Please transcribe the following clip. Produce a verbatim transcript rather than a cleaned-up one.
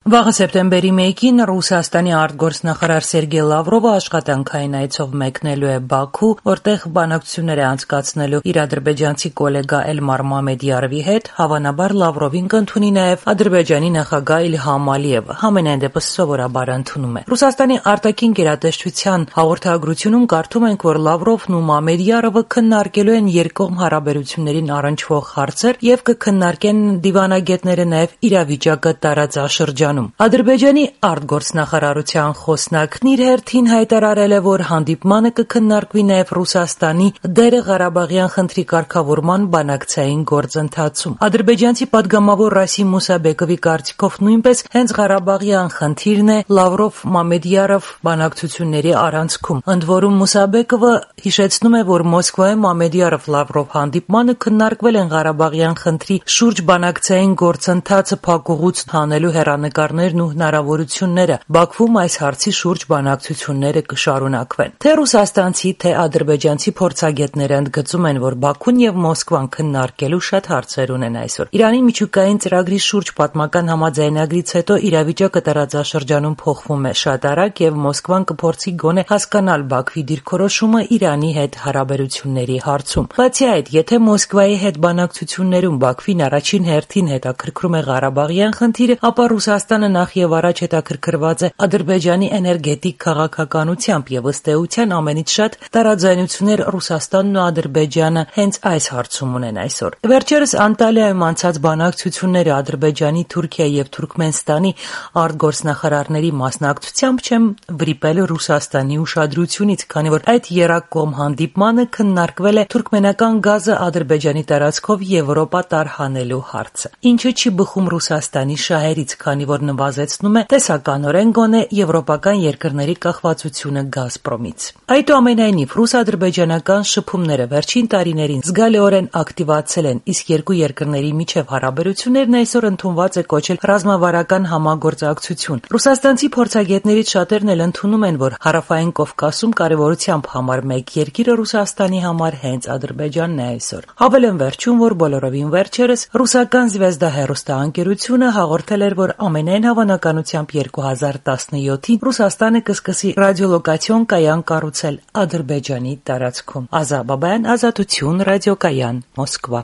Վաղը սեպտեմբերի մեկին Ռուսաստանի արտգործնախարար Սերգեյ Լավրովը աշխատանքային այցով մեկնելու է Բաքու, որտեղ բանակցություններ է անցկացնելու իր ադրբեջանցի գոլեգա Էլմար Մամեդյարովի հետ, հավանաբար Լավրովին կընդունի նաև Ադրբեջանի նախագահ Իլհամ Ալիևը, համենայն դեպս սովորաբար ընդունում է։ Ռուսաստանի արտաքին գերատեսչության հաղորդագրությունում կարդում ենք, որ Լավրովն ու Մամեդյարովը քննարկելու են երկկողմ հարաբերություններին առնչվող հարցեր եւ կքննարկեն դիվանագետները նաև իրավիճակը տարածաշրջանում։ Ադրբեջանի արտգործնախարարության խոսնակն իր հերթին հայտարարել է, որ հանդիպմանը կքննարկվի նաև Ռուսաստանի դերը Ղարաբաղյան խնդրի կարգավորման բանակցային գործընթացում։ Ադրբեջանցի падգամավոր Ռասիմ Մուսաբեկովի կարծիքով նույնպես հենց Ղարաբաղյան խնդիրն է Լավրով-Մամեդյարով բանակցությունների առանցքում։ Ընդ որում Մուսաբեկովը հիշեցնում է, որ Մոսկվայում Մամեդյարով-Լավրով հանդիպմանը քննարկվել են Ղարաբաղյան խնդրի շուրջ բանակցային գործընթացը փակուղուց հանելու հեռանկարներն ու հնարավորությունները։ Բաքվում այս հարցի շուրջ բանակցությունները կշարունակվեն։ Թե ռուսաստանցի, թե ադրբեջանցի փորձագետները ընդգծում են, որ Բաքուն եւ Մոսկվան քննարկելու շատ հարցեր ունեն այսօր։ Իրանի միջուկային ծրագրի շուրջ պատմական համաձայնագրից հետո իրավիճակը տարածաշրջանում փոխվում է շատ արագ եւ Մոսկվան կփորձի գոնե հասկանալ Բաքվի դիրքորոշումը Իրանի հետ հարաբերությունների հարցում։ Բացի այդ, եթե Մոսկվայի հետ բանակցություններում Բաքվին առաջին հերթին հետաքրքրում է Ղարաբաղյան խնդիրը, ապա Ռուսաստանը նախ եւ առաջ հետաքրքրված է Ադրբեջանի էներգետիկ քաղաքականությամբ եւ ըստ էության ամենից շատ տարաձայնություններ Ռուսաստանն ու Ադրբեջանը հենց այս հարցում ունեն այսօր։ Վերջերս Անտալիայում անցած բանակցությունները Ադրբեջանի, Թուրքիայի եւ Թուրքմենստանի արտգործնախարարների մասնակցությամբ չեմ վրիպել Ռուսաստանի ուշադրությունից, քանի որ այդ երակողմ հանդիպմանը քննարկվել է թուրքմենական գազը Ադրբեջանի տարածքով Եվրոպա տարհանելու հարցը, ինչը չի բխում Ռուսաստանի շահերից, քանի որ նվազեցնում է տեսականորեն գոնե եվրոպական երկրների կախվածությունը Գազպրոմից։ Այդուամենայնիվ, ռուս-ադրբեջանական շփումները վերջին տարիներին զգալիորեն ակտիվացել են, իսկ երկու երկրների միջև հարաբերություններն այսօր ընդունված է կոչել ռազմավարական համագործակցություն։ Ռուսաստանցի փորձագետներից շատերն էլ ընդունում են, որ Հարավային Կովկասում կարևորությամբ համար մեկ երկիրը Ռուսաստանի համար հենց Ադրբեջանն է այսօր։ Հավելեմ վերջում, որ բոլորովին վերջերս ռուսական Զվեզդա հեռուստաընկերությունը հաղորդել էր, որ ամենայն հավանականությամբ երկու հազար տասնյոթին Ռուսաստանը կսկսի ռադիոլոկացիոն կայան կառուցել Ադրբեջանի տարածքում։ Ազա Բաբայան, Ազատություն, ռադիոկայան, Մոսկվա։